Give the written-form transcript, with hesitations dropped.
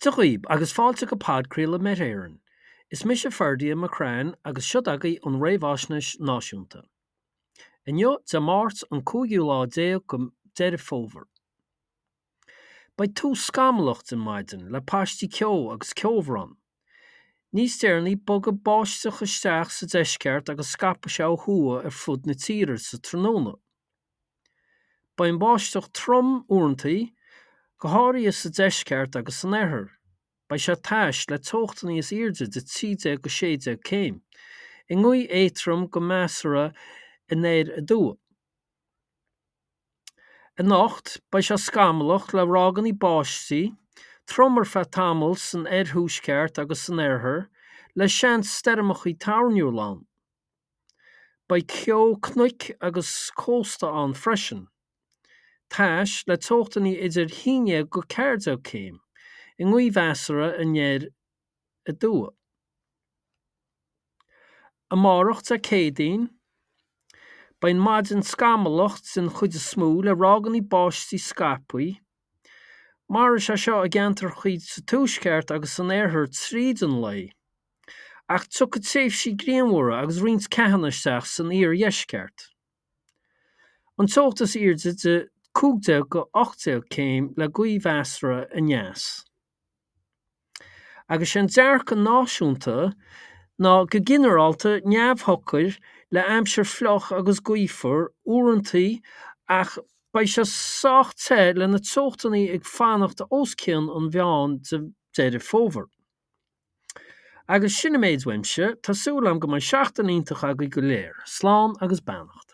Dia dhaoib agus fáilte go podchraoladh Met Éireann. Is mise Ferdia McCrann agus seo agaibh an Réamhaisnéis Náisiúnta. Inniu Dé Máirt an cúigiú lá déag go Deireadh Fómhair. Beidh tús scamallach den maidin le paistí ceo agus ceobhrán. Níos deireanaí bogfaidh báisteach isteach sa deisceart agus scaipfidh sé ó thuaidh ar fud na tíre sa tráthnóna. Beidh an bháisteach trom uaireanta, go háirithe sa deisceart agus san oirthear. Beidh sé tais, le teochtanna is airde de 13-16 céim, i ngaoth éadrom go measartha anoir aduaidh. Anocht, beidh sé scamallach le ráigeanna báistí trom ar feadh tamaill san oirthuaisceart agus san oirthear, le seans stoirmeacha toirniúla ann. Beidh ceo cnoic agus cósta ann freisin. Tais, le teochtanna idir 11-14 céim, i ngaoth mheasartha anoir aduaidh. Amárach, Dé Céadaoin, beidh an maidin scamallach den chuid is mó le ráigeanna báistí scaipthe. Mairfidh sé seo i gceantracha sa tuaisceart agus san oirthear tríd an lae. Ach tiocfaidh tréimhsí grianmhara agus roinnt ceathanna isteach san iardheisceart. An teocht is airde de 15-18 céim le gaoth mheasartha aneas. Agus sé an dearcadh náisiúnta ná go ginearálta neamhshocair le aimsir fliuch agus gaofar uaireanta ach beidh sé sách te le na teochtanna ag fanacht os cionn an mheáin de Deireadh Fómhair. Agus sin an méid uaimse, tá súil agam go mbeidh seachtain iontach agaibh go léir. Slán agus beannacht.